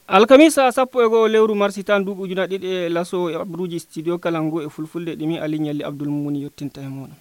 alkamisa 11 lewru marsitan duuɓi ujuna ɗiɗi e laso e abruji studio kalangu e fulfulde ɗimi ali ñalli abdoul mumuni yettinta e moɗon.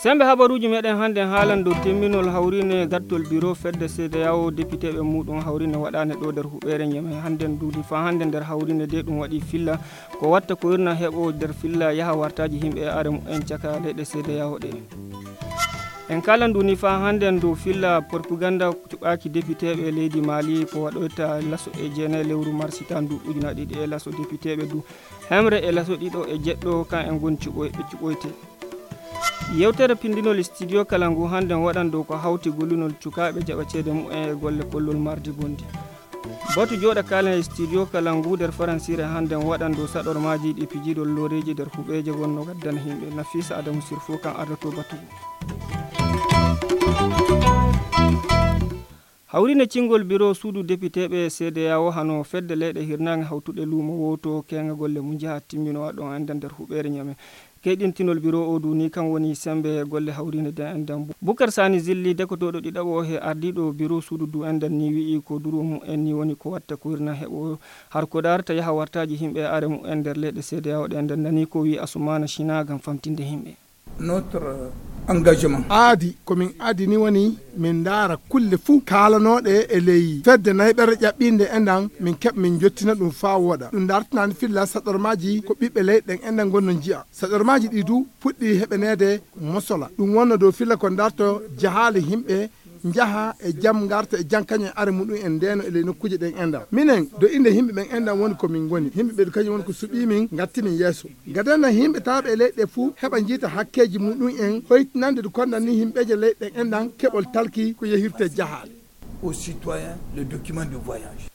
sembe habaruji meɗen hande haalan dow temminol hawrine gattol bureau fedde CEDEAO député ɓe muɗum hawrine waɗane ɗo nder huɓere ñame handen duudi fa hande nder hawrine de ɗum waɗi filla ko watta ko irna heɓo nder filla yaha wartaji yimɓe e are mu'en caka leyɗe CEDEAO ɗe en kala nduni fa hande dow filla propaganda cuɓaki député ɓe leydi Mali ko waɗoyta laso e jeenayi lewru marsitan du ujuna ɗiɗi e laso député ɓe du hemre e laso ɗiɗo e jeɗɗo kan en gon cuɓoyte yewtere pindinol studio kalangu hande waɗan dow ko hawti gollunol cukaɓe jaɓa ceede mu'en e golle kollol mardi bondi batu joɗa kalen e studio kalangu nder faransire hande waɗan dow saɗormaji ɗi pijiɗol loreji nder huɓeje wonno gaddana himɓe Nafisa Adamu Sirfo kan ardato batugo hawrine cingol bureau suudu député ɓe CEDEAO hano fedde leyɗe hirnage hawtuɗe luumo woto kenga golle mum jaha timminowa ɗon enda nder huɓere ñame keɗintinol bureau o duni kan woni sembe golle hawrine de endan Boukar Sani Zilli dekotoɗo ɗiɗaɓo he ardiɗo bureau suudu du endan ni wi'i ko duro mum en ni woni ko watta ko hirna heɓo har ko darta yaha wartaji yimɓe are mum en nder leyɗe CEDEAO ɗe endan nani ko wi Assoumana China gam famtinde yimɓe notre engagement aadi komin aadi ni woni min daara kulle fuu kaalanoɗe e ley fedde nayɓere ƴaɓɓinde endan min keɓ min jottina ɗum faa woɗa ɗum dartinani filla saɗormaji ko ɓiɓɓe leyɗen endan gonno jiya saɗormaji ɗi du puɗɗi heɓanede mosola ɗum wonno dow filla ko darto jahali himɓe jaha e jam garta e jam kañum are muɗum en ndeno e ley nokkuje ɗen endan minen do inde yimɓe ɓen endan woni komin goni yimɓe ɓe kañum woni ko suɓimin gattimin yeeso gadanna yimɓe tawaɓe e leyɗe fuu heɓa jiita hakkeji muɗum en hoytinande ɗo konɗan ni yimɓeje leyɗen endan keɓol talki ko yehirte jahale aux citoyens le document de voyage.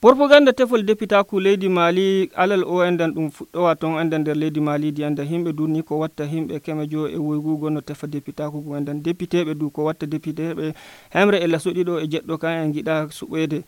Propaganda tefol dépitaku leydi Mali alal o endan ɗum fuɗɗowa ton endan nder leydi Mali di enda himɓe durni ko watta himɓe kemejo e woygugo no tefa dépitaku go endan député ɓe du ko watta député ɓe hemre e laso ɗiɗo e jeɗɗo kan en giɗa suɓoyde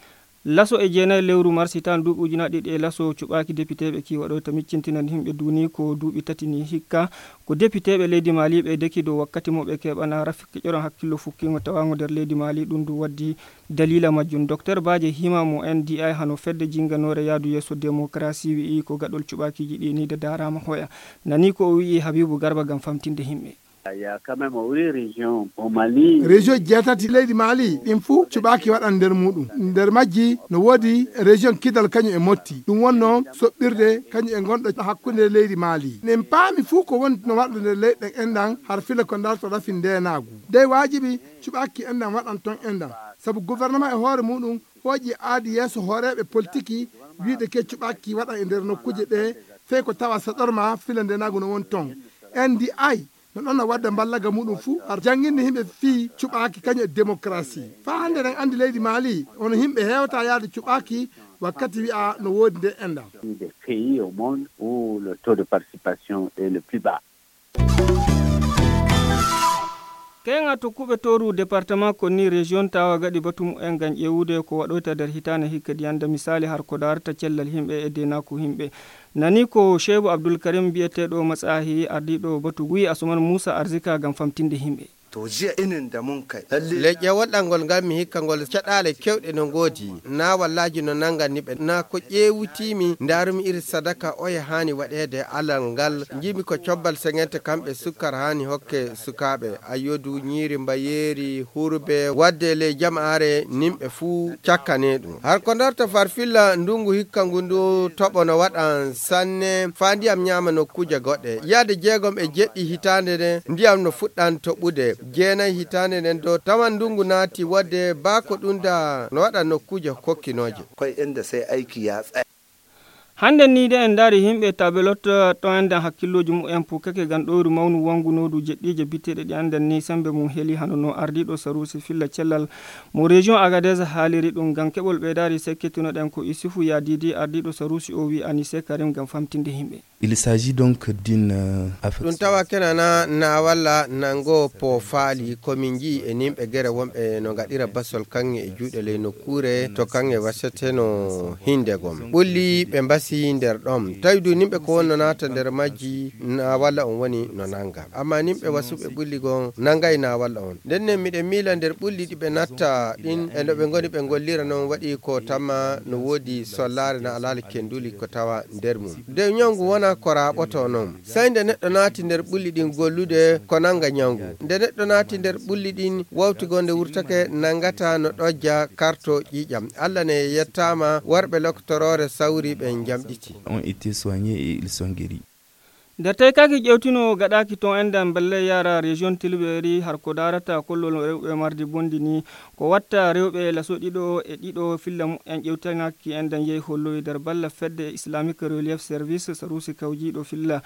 laso e jeenayi lewru marsitan duuɓi ujuna ɗiɗi e laso cuɓaki député ɓe ki waɗoyta miccintinan himɓe duni ko duuɓi tati ni hikka ko député ɓe leydi Mali ɓe deki dow wakkati mo ɓe keɓana rafiki ƴoron hakkillo fukkingo tawango nder leydi Mali ɗum du waddi dalila majjum docteur Badje Hima mo NDI hano fedde jinganore yaadu yesso démocratie wi'i ko gaɗol cuɓakiji ɗi ni de darama hoya nani ko o wi'i Habibou Garba gam famtinde himɓe. Il y a quand même une région au Mali. Région jeetati leydi Mali ɗin fuu cuɓaki waɗan nder muɗum nder majji no woodi région Kidal kañum e Motti ɗum wonno soɓɓirde kañum e gonɗo hakkunde leydi Mali nen paami fuu ko woni no waɗa nder leyɗen endan har fila ko darto rafi ndenagu dey wajibi cuɓaki endan waɗan ton endan saabu gouvernement e hoore muɗum hooƴi aadi yeeso hooreɓe politique wiide ke cuɓaki waɗan e nder nokkuje ɗe fey ko tawa saɗorma fila ndenagu no woni ton NDI no ɗon no wadda mballaga muɗum fuu har jangguinde yimɓe fii cuɓaki kañum e démocratie fa hande en andi leydi Mali ono yimɓe hewta yaade cuɓaki wakkati wi'a no woodi nde enda des pays au monde où le taux de participation est le plus bas. kenga tokkuɓe toru département konni région tawa gaɗi batum en gam ƴewude ko waɗoyta nder hitane hikka diyanda misali har ko darta cellal himɓe e denaku himɓe nani ko Cheibou Abdoul Karim biyeteɗo matsahi ardiɗo batu guyi Asuman Moussa Arzika gam famtinde himɓe to jiya inin da mun kai leƴƴe waɗɗalngol ngal mi hikka ngol caɗale kewɗe no ngoodi na wallaji no nangani ɓe na ko ƴewutimi darumi iri sadaka oye hani waɗede alal ngal jimi ko cobbal sengente kamɓe sukkar hani hokke sukaɓe ayodu ñiiri mbayeri hurbe wadde le jama'are nimɓe fuu cakkane ɗum har ko darta farfilla ndungu hikka ngu ndu toɓo no waɗan sanne fa ndiyam ñama nokkuje goɗɗe yaade jeegom e jeɗɗi hitande nde ndiyam no fuɗɗan toɓude jeenayi hitande nden do tawan ndungu naati wadde bako ɗunda no waɗa nokkuje kokkinoje koye ende sai aiki ya tsaya hande ni de en daari himɓe tabelot to enden hakkilloji mumen pukake gam ɗoyru mawnu wangunodu jeɗɗije bitteɗe ɗi anden ni sembe mum heeli hanono ardiɗo Sarusi filla cellal mo région Agadez haaliri ɗum gam keɓol ɓeydari sekkitinoɗen ko Isufu Yadidi ardiɗo Sarusi o wi Anissé Karim gam famtinde himɓe Il s'agit donc d'une ɗum tawa kenana na walla nango po faali komin ji e nimɓe gere wonɓe no gaɗira basol kanŋe e juuɗe ley nokkure to kanŋe waseteno hinde gom ɓulli ɓe mbasi nder ɗom tawi du nimɓe ko wonno nata nder majji na walla on woni no nanga amma nimɓe wasuɓe ɓulli gon nangay na walla on nden miɗen miila nder ɓulli ɗi ɓe natta ɗin e no ɓe goni ɓe gollira noon waɗi ko tamma no woodi sollare na alali kenduli ko tawa nder mum de ñawgu wona ko raɓoto noon sai nde neɗɗo naati nder ɓulli ɗin gollude ko nanga ñawgu nde neɗɗo naati nder ɓulli ɗin wawtigonde wurtake nangata no ɗojja karto ƴiƴam Allah ne yettama warɓe loktorore sawri ɓe jamɗiti ont été soignés et ils sont guéris. nder tawi kaki ƴewtino gaɗaki ton endan belle yara région tilɓeri har ko darata kollol rewɓe mardi bondi ni ko watta rewɓe laso ɗiɗo e ɗiɗo filla mu'en ƴewtanaki endan yehi holloyi nder balla fedde islamique relief service sarusi kawjiɗo filla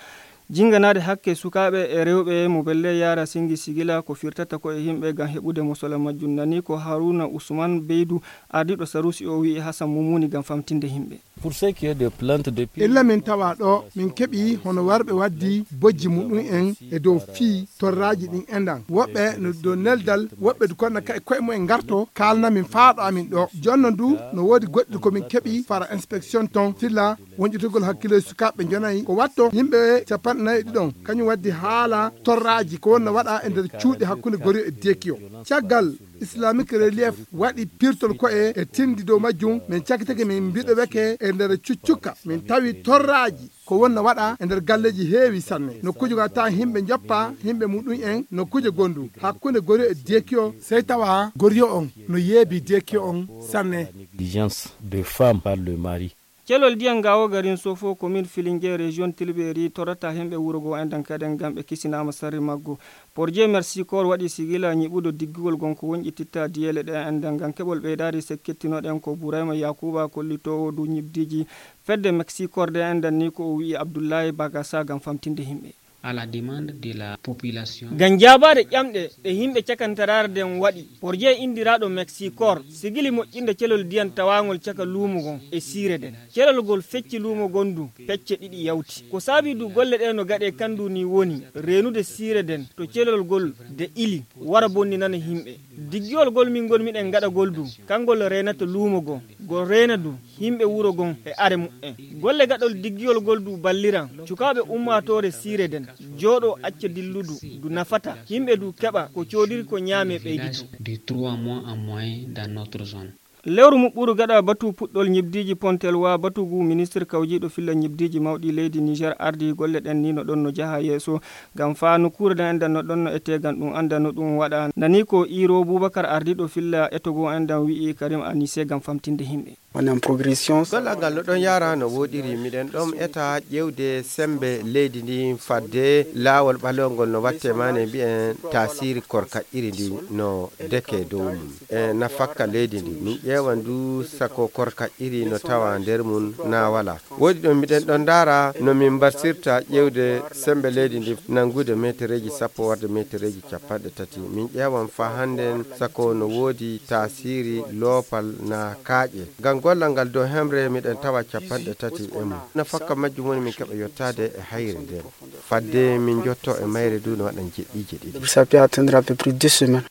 jinganade hakke sukaɓe e rewɓe mo belle yara singi sigila ko firtata ko e yimɓe gam heɓude mosola majjum nani ko Haruna Ousmane Beydou ardiɗo sarusi o wi Hassan Mumuni gam famtinde yimɓe. Pour ce qui est de plantes de illa min tawa ɗo min keɓi hono warɓe waddi bojji muɗum en e dow fii torraji ɗin endan woɓɓe no dow neldal woɓɓe du konna kay koye mumen garto kalna min faaɗo amin ɗo jonno du no woodi goɗɗi komin keɓi fara inspection ton filla wonƴitugol hakkille sukaɓe jonayi ko watto yimɓe capanɗe ɗiɗon kañum waddi haala torraji ko wonno waɗa e nder cuuɗi hakkude Gori e Dekio caggal islamique relief waɗi pirtol koye e tindi dow majjum min cakkitake min mbiɗo weke e nder cuccukka min tawi torraji ko wonna waɗa e nder galleji heewi sanne nokkuji ga ta himɓe joppa himɓe muɗum en nokkuje gondu hakkude Gori e Dekio sey tawa Gori on no yeebi Dekio on sanne. Diligence de femme par le mari. celol diyan gawo garin sofo commune Filingue région Tilberi torata hemɓe wuro go endan kaden gam ɓe kisinama sarri maggo Porje Merci Corps waɗi sigila ñiɓudo diggugol gonko wonƴititta diyele ɗe endan gam keɓol ɓeydari sekkettinoɗen ko Bourayma Yakuba kollitowo du ñibdiji fedde Merci Corps de endan ni ko o wi Abdoulaye Bagassa gam famtinde himɓe à la demande de la population. Gam jabade ƴamɗe ɗe himɓe cakantarare den waɗi Porje indiraɗo Merci Corps sigili moƴƴinde celol diyan tawagol caka luumo gon e siire den celol gol fecci luumo gondu pecce ɗiɗi yawti ko saabi du golle ɗe no gaɗe kandu ni woni renude siire den to celol gol de ili wara bonni nana himɓe diggiol gol min gon miɗen gaɗa gol du kangol renata luumo gon gol rena du himɓe wuro gon e are mu'en golle gaɗol diggiol gol du balliran cukaɓe ummatore siire den joɗo acca dilludu du nafata himɓe du keɓa ko codiri ko ñaame ɓeydito de 3 mois en moyenne dans notre zone. lewru muɓɓuru gaɗa batu puɗɗol ñibdiji pontel wa batugu ministre kawjiɗo filla ñibdiji mawɗi leydi Niger ardi golle ɗen ni no ɗon no jaha yeeso gam fa no kuureden endan no ɗon no etegan ɗum anda no ɗum waɗa nani ko Iro Boubacar ardiɗo filla etogo endan wi'i Karim Anissé gam famtinde himɓe on est en progression. gollal ngal no ɗon yara no woɗiri miɗen ɗon eta ƴewde sembe leydi ndi fadde laawol ɓalewgol no watte mane mbiyen tasiri korkaƴƴiri ndi no deke dow mum e nafakka leydi ndi min ƴewan du sako korkaƴƴiri no tawa nder mum na wala woodi ɗon miɗen ɗon dara no min barsirta ƴewde sembe leydi ndi nangude metereji sappo warde metereji capanɗe tati min ƴewan fa hannden sako no woodi tasiri loopal na kaaƴe gam gollal ngal dow hemre miɗen tawa capanɗe tati e mum nafakka majjum woni min keɓa yottade e hayre nden fadde min jotto e mayre du no waɗan jeɗɗiji ɗiɗi. Ça peut atteindre à peu près 2 semaines.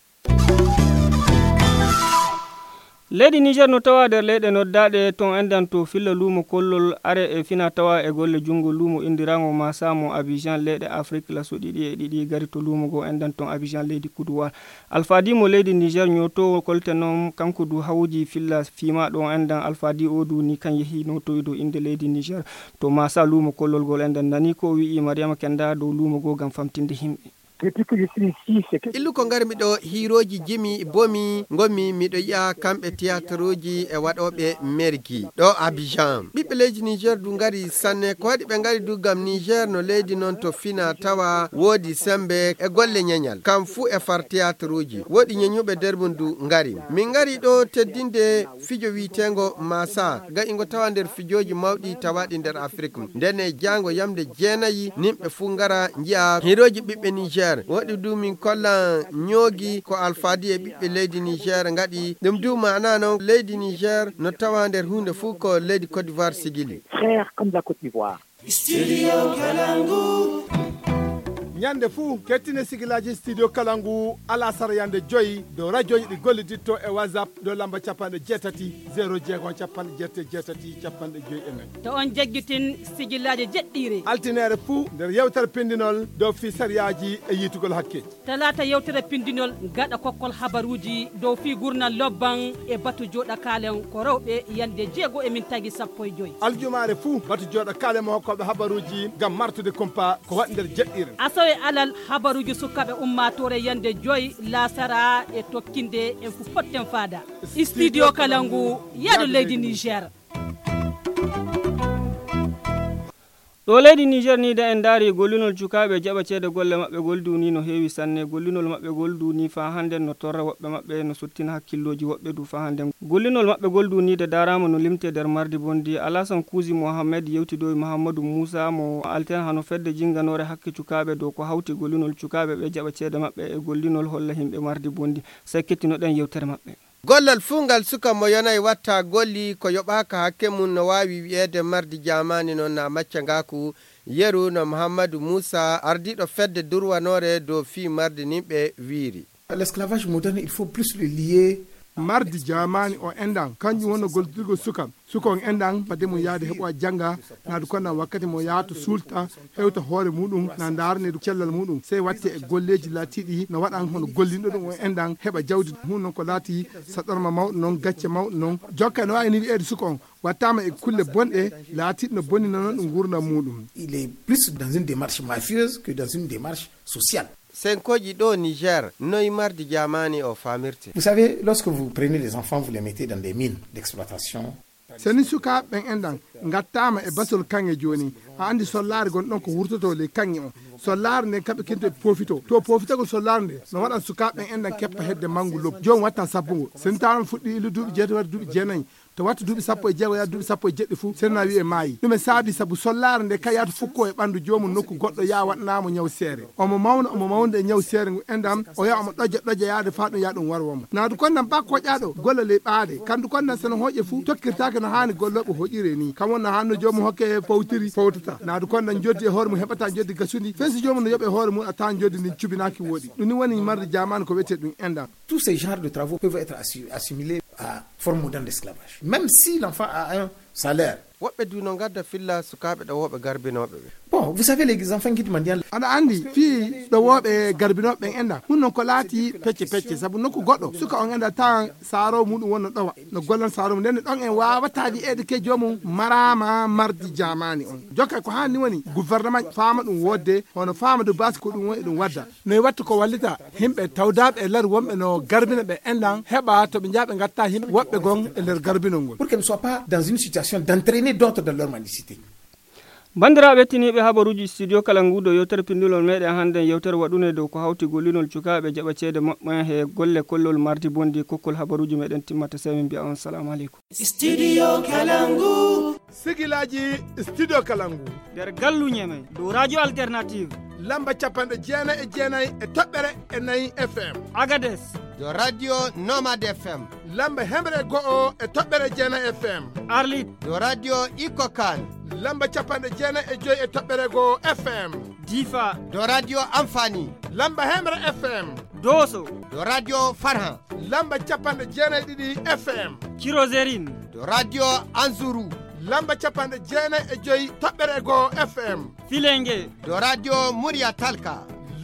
leydi Niger no tawa nder leyɗe noddaɗe ton endan to filla luumo kollol are e fina tawa e golle jungo luumo indirago masamo Abidjan leyɗe Afrique laso ɗiɗi e ɗiɗi gari to luumo go endan ton Abidjan leydi Kuduwal Alfadi mo leydi Niger nyoto kolte noon kanko du hawji filla fima ɗon endan Alfadi o du ni kan yehi no toydo inde leydi Niger to masa luumo kollol gol endan nani ko wi'i Mariama Kenda dow luumo go gam famtinde himɓe illu ko garmi ɗo hiroji jimi bomi gomi miɗo yi'a kamɓe théâtre ji e waɗoɓe merki ɗo Abidjan ɓiɓɓe leydi Niger du gari sanne ko waɗi ɓe gari du gam Niger no leydi noon to fina tawa woodi sembe e golle ñeñal kam fu e far théâtre ji woodi ñeñuɓe nder mum du gari min gari ɗo teddinde fijo witego masa ga ingo tawa nder fijoji mawɗi tawaɗi nder Afrique ndene jango yamde jeenayi nimɓe fu gara jiya hiroji ɓiɓɓe Niger waɗi du min kolla ñoogi ko Alfadi e ɓiɓɓe leydi Niger ngaɗi ɗum du mana noon leydi Niger no tawa nder hunde fuu ko leydi Côte d'Ivoire sigili frère comme la Côte d'Ivoire. Studio Kalangu. ñande fuu kettine sigilaji studio kalangu alasara yande joyi do radio ɗi golliditto e whatsapp do lamba capanɗe jeetati 0 capanɗe jeetati capanɗe joyi e nayyi to on jagguitin sigillaji jeɗɗiri altinere fuu nder yewtere pindinol dow fi sariyaji e yitugol hakkeji talata yewtere pindinol gaɗa kokkol habaruji dow fi gurnal lobban e batu joɗa kalen ko rewɓe yande 6:15 aljumare fuu batu joɗa kalen mo hokkoɓe habaruji gam martude compa ko waɗi nder jeɗɗire asawe alal habaruji sukaɓe ummatore yande 5 lasara e tokkinde en fu potten fada studio kalangu yaɗo leydi Niger. ɗo leydi Niger ni da en daari gollinol cukaɓe jaɓa ceede golle maɓɓe golduni no heewi sanne gollinol maɓɓe golduni fa hande no torra woɓɓe maɓɓe no sottina hakkilloji woɓɓe du fa hande gollinol maɓɓe golduni de darama no limte nder mardi bondi Alassane Kouzi Mohamed yewtidoy Mahamadou Moussa mo alten hano fedde jinganore hakke cukaɓe dow ko hawti gollinol cukaɓe ɓe jaɓa ceede maɓɓe e gollinol holla himɓe mardi bondi sey kettinoɗen yewtere maɓɓe. gollal fungal suka mo yonay watta golli ko yoɓaka hakke mum no wawi wi'ede mardi jamani noon na macca ngaku yeru no Mahamadou Moussa ardiɗo fedde durwanore dow fi mardi nimɓe wiiri l'esclavage moderne il faut plus le lier mardi jamani o endan kanjum wonno goldirgol suka on endan fade mum yaade heɓo janga naadu konna wakkati mo yahata sulta hewta hoore muɗum na darnedu cellal muɗum sey watte e golleji laatiɗi no waɗan hono gollinɗo ɗum o endan heɓa jawdi hun noon ko laati saɗorma mawɗo noon gacce mawɗo noon jokka no wawi ni wi'ede suka on wattama e kulle bonɗe laatiɗo no bonnina noon ɗum gurdam muɗum. Il est plus dans une démarche mafieuse que dans une démarche sociale. senkoji ɗo Niger noy mardi jamani o famirte. Vous savez, lorsque vous prenez les enfants, vous les mettez dans des mines d'exploitation. seni sukaɓe ɓen endan gattama e basol kanŋe joni a andi sollare gonɗon ko wurtoto le kanŋe on sollare nde kamɓe kento e profito to profitagol sollare nde no waɗan sukaɓe ɓen endan keppa hedde manggu lobbu joni watta sabbugo sen tawon fuɗɗi ilu duuɓi jeetati wadde duuɓi jeenayyi to wattu duuɓi sappo e jeego ya duuɓi sappo e jeɗɗi fuu senna wi e maayi ɗum e saabi saabu sollare nde kayata fukko e ɓandu jomum nokku goɗɗo ya waɗanamo ñaw seere omo mawna e ñaw seere ngu endam o ya omo ɗoja yaade fa ɗum ya ɗum warwomo naadu konnan ba koƴaɗo golla ley ɓaade kandu konnan seno hooƴe fuu tokkirtake no hani golloɓe hoƴire ni kam wonna hanno jomum hokke fawtiri fawtata naadu konnan joddi e hoore mum heɓata joddi gasudi fensi jomum no yoɓe hoore mum a tawan joddi ndi cubinaki woɗi ɗum ni woni marde jamani ko wiyete ɗum endam. Tous ces genres de travaux peuvent être assimilés à forme moderne d'esclavage même si l'enfant a un salaire. woɓɓe du no gadda filla sukaɓe ɗo woɓe garbinoɓe ɓe. Bon, vous savez les enfants qui demandent aɗa andi fi ɗo woɓe garbinoɓe ɓen enda hun non ko laati pecce saabu nokku goɗɗo suka on enda tawan saaro muɗum wonno ɗowa no gollan saaro mum nden ɗon en wawataɗi eede ke jomum marama mardi jamani on jokka ko hanni woni gouvernement faama ɗum wodde hono faama do basi ko ɗum woni ɗum wadda noy watta ko wallita himɓe tawdaɓe e lar wonɓe no garbina ɓe endan heɓa to ɓe jaaɓe gatta himɓe woɓɓe gon e nder garbinol ngol pour qu'elle ne soit pas dans une situation d'entraîner d'autres dans leur mendicité. bandiraɓe tiniɓe habaruji studio kalangu do yewtere pindulol meɗen hande yewtere waɗune dow ko hawti gollinol cukaɓe jaɓa ceede maɓɓe he golle kollol mardi bondi kokkol habaruji meɗen timmata sey min mbiya on salamu aleykum. Studio Kalangu. sigilaji studio kalangu nder gallu ñeme dow radio alternative lamba capanɗe jeenayyi e toɓɓere e nayyi fm agades do radio nomade fm lamba hemre go'o e toɓɓere jeenayyi fm arlit do radio ikokan lamba capanɗe jeenayyi e joyi e toɓɓere goo fm difa do radio amfani lamba hemre fm doso do radio farhan lamba capanɗe jeenayyi ɗiɗi fm kirosérine do radio anzuru lamba capanɗe jeenayyi e joyi toɓɓere goo fm filengue do radio muriya talka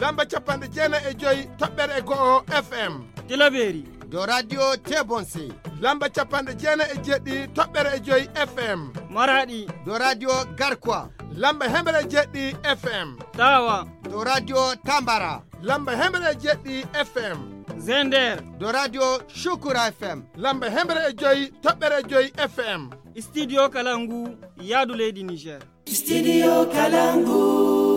lamba capanɗe jeenayyi e joyi toɓɓere goo fm tilaberi do radio tebonse lamba capanɗe jeenayyi e jeɗɗi toɓɓere e joyi fm maradi do radio garkwa lamba hemre jeɗɗi fm tawa do radio tambara lamba hemre jeɗɗi fm zender do radio shukura fm lamba hemre e joyi toɓɓere e joyi fm studio kalangu yaadu leydi Niger. Studio Kalangu.